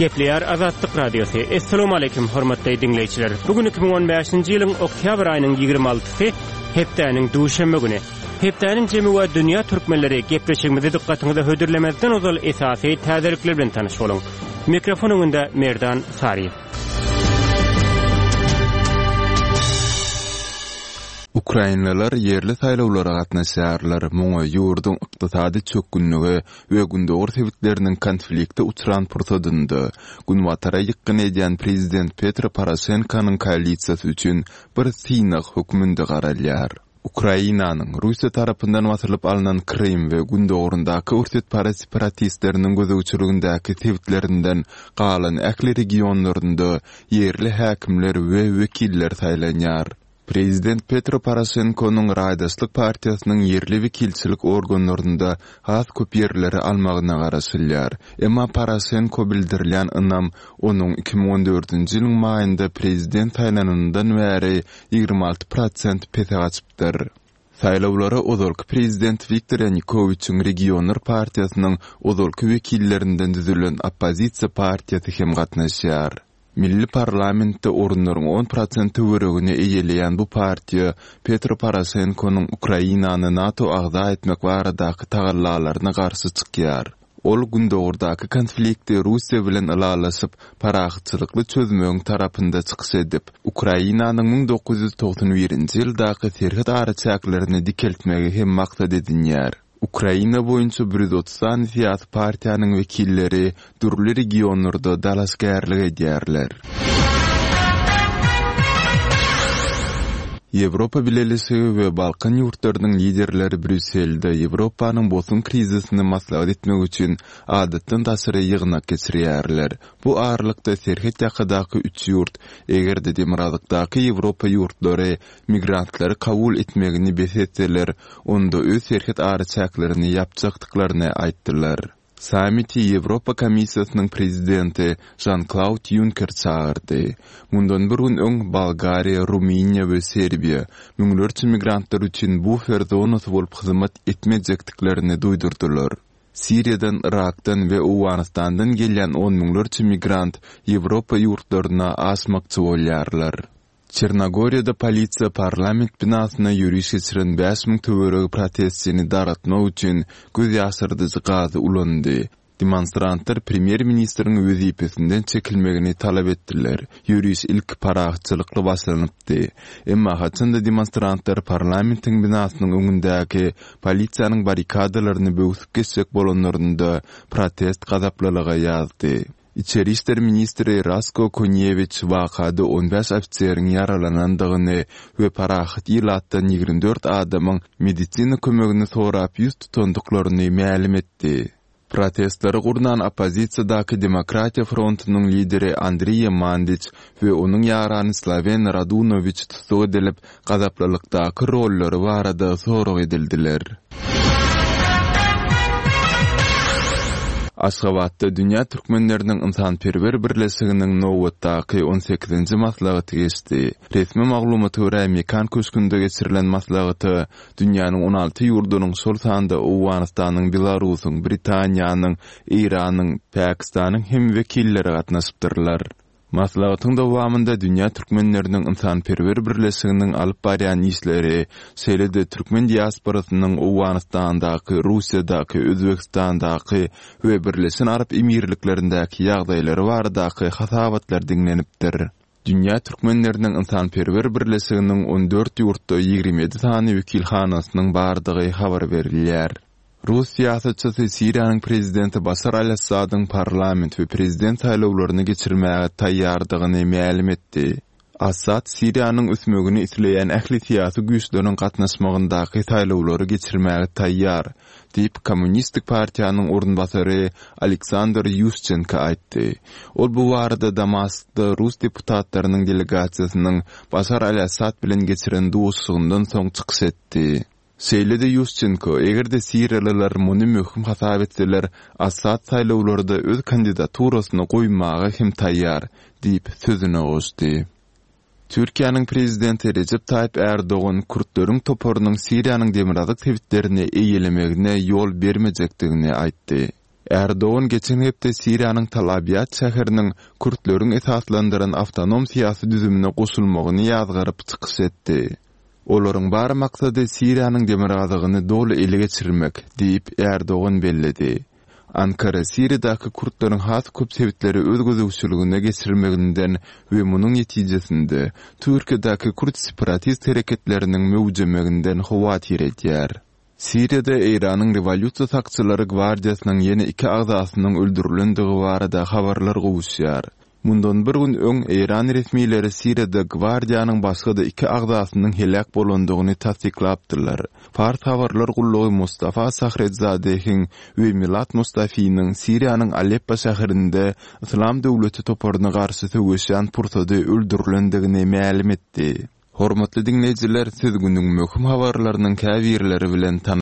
Gepleýär Azatlyk Radiosy. Essalamu aleýkum hormatly diňleýjiler. Bu gün 2015-nji ýylyň oktýabr aýynyň 26-sy, hepdäniň duşenbe güni. Hepdäniň jemi we dünýä türkmenleri gepleşigimizi dykgatyňyza hödürlemezden ozal esasy täzelikler bilen tanyş boluň. Mikrofon öňünde Merdan Saryýew. Ukrainalylar ýerli saýlawlara gatnaşýarlar, muňa ýurduň ykdysady çökgünlige we gündogar sebitleriniň konflikte uçran pursadynda Günbatara ýykgyn edýän prezident Petro Poroşenkonyň koalisiýasy üçin bir synag hökmünde garalýar. Ukrainanyň Russiýa tarapyndan basylyp alnan Krym we gündogaryndaky orsýetparaz separatistleriniň gözegçiligindäki sebitlerinden galan ähli regionlarynda ýerli häkimler we wekiller saýlanýar. Prezident Petro Poroşenkonyň Raýdaşlyk partiýasynyň ýerli wekilçilik organlarynda has köp ýerleri almagyna garaşylýar. Emma Poroşenko bildirilýän ynam onuň 2014-nji ýylyň maýynda prezident saýlananyndan bäri 26 prosent pese gaçypdyr. Saýlawlara ozalky prezident Wiktor Ýanukowiçiň Regionlar partiýasynyň ozalky wekillerinden düzülen oppozisiýa partiýasy hem gatnaşýar. Milli parlamentde orunlaryň on prosent töweregini eýeleýän bu partiýa Petro Poroşenkonyň Ukrainany NATO agza etmek baradaky tagallalaryna garşy çykýar. Ol gündogardaky konflikti Russiýa bilen ylalaşyp, parahatçylykly çözmegiň tarapynda çykyş edip, Ukrainanyň 1991-nji ýyldaky serhet araçäklerini dikeltmegi hem maksat edinýär. Ukraina boýunça 130 sany syýasy partiýanyň wekilleri dürli regionlarda dalaşgärlik edýärler. Ýewropa Bileleşigi we Balkan ýurtlarynyň liderleri Brýusselde Ýewropanyň bosun krizisini maslahat etmek üçin adatdan daşary ýygnak geçirýärler. Bu aralykda serhet ýakadaky üç ýurt, eger-de demirgazykdaky Ýewropa ýurtlary migrantlary kabul etmegini bes etseler, onda öz serhet araçäklerini ýapjakdyklaryny aýtdylar. Sammiti Ýewropa Komissiýasynyň prezidenti Žan-Klaud Ýunker çagyrdy. Mundan bir gün öň Bolgariýa, Rumyniýa we Serbiýa müňlerçe migrantlar üçin bufer zonasy bolup hyzmat etmejekdiklerini duýdurdylar. Siriýadan, Yrakdan we Owganystandan gelýän on müňlerçe migrant Ýewropa ýurtlaryna aşmakçy bolýarlar. Çernogoriýada polisiýa parlament binasyna ýöriş geçiren 5000 töweregi protestçini dargatmak üçin göz ýaşardyjy gazy ulandy. Demonstrantlar premýer-ministriň wezipesinden çekilmegini talap etdiler. Ýöriş ilki parahatçylykly başlanypdy. Emma haçan-da demonstrantlar parlamentiň binasynyň öňündäki polisiýanyň barrikadalaryny böwsüp geçjek bolanlarynda, protest gazaplylyga ýazdy. Içeri işler ministri Rasko Konýewiç wakada 15 ofiseriň ýaralanandygyny we parahat ilatdan 24 adamyň medisina kömegini sorap ýüz tutandyklaryny mälim etdi. Protestleri gurnan oppozisiýadaky Demokratiýa frontunyň lideri Andriýa Mandiç we onuň ýarany Slawen Radunowiç tussag edilip, gazaplylykdaky rollary barada sorag edildiler. Aşgabatda Dünýä türkmenleriniň ynsanperwer birleşiginiň nobatdaky on sekizinji maslahaty geçdi. Resmi maglumata görä, Mekan köşgünde geçirilen maslahata dünýäniň 16 ýurdunyň, şol sanda Owganystanyň, Belarusyň, Britaniýanyň, Eýranyň, Pakistanyň hem wekilleri gatnaşypdyrlar. Maslahatyň dowamynda Dünýä türkmenleriniň ynsanperwer birleşiginiň alyp barýan işleri, şeýle-de türkmen diasporasynyň Owganystandaky, Russiýadaky, Özbegistandaky we Birleşen Arap Emirliklerindäki ýagdaýlary baradaky hasabatlar diňlenipdir. Dünýä türkmenleriniň ynsanperwer birleşiginiň 14 ýurtda 27 sany wekilhanasynyň bardygy habar berilýär. Rus syýasatçysy Siriýanyň prezidenti Başar al-Assadyň parlament we prezident saýlawlaryny geçirmäge taýýardygyny mälim etdi. Assad Siriýanyň ösmegini isleýän ähli syýasy güýçleriň gatnaşmagyndaky saýlawlary geçirmäge taýýar, diýip, Kommunistik partiýanyň orunbasary Aleksandr Ýuşçenko aýtdy. Ol bu barada Damaskda rus deputatlarynyň delegasiýasynyň Başar al-Assad bilen geçiren duşuşygyndan soň çykyş etdi. Şeýle-de Ýuşçenko, eger-de siriýalylar muny möhüm hasap etseler, Assad saýlawlarda öz kandidaturasyny goýmaga hem taýýar, diýip, sözüne goşdy. Türkiýäniň prezidenti Rejep Taýyp Ärdogan kürtleriň toparynyň Siriýanyň demirgazyk sebitlerini eýelemegine ýol bermejekdigini aýtdy. Erdogan geçen hepde Siriýanyň Tal Abýad şäheriniň kürtleriň esaslandyran awtonom syýasy düzümine goşulmagyny ýazgaryp çykyş etdi. Olaryň bar maksady Siriýanyň demirgazygyny doly ele geçirmek, diýip, Erdogan belledi. Ankara Siriýadaky kürtleriň has köp sebitleri öz gözegçiligine geçirmeginden we munuň netijesinde Türkiýedäki kürt separatist hereketleriniň möwjemeginden howatyr edýär. Siriýada Eýranyň Rewolýusiýa sakçylary gwardiýasynyň ýene iki agzasynyň öldürilendigi barada habarlar gowuşýar. Mundan bir gün öň eýran resmileri Siriýada gwardiýanyň başga-da iki agzasynyň heläk bolandygyny tassyklapdylar. Fars habarlar gullugy Mustafa Sahrezzadehiň we Milad Mustafiniň Siriýanyň Aleppo şäherinde Yslam döwleti toparyna garşy söweşýän pursady öldürilendigini mälim etdi. Hormatly diňleýjiler, siz günüň möhüm habarlarynyň käbirleri bilen tanyş.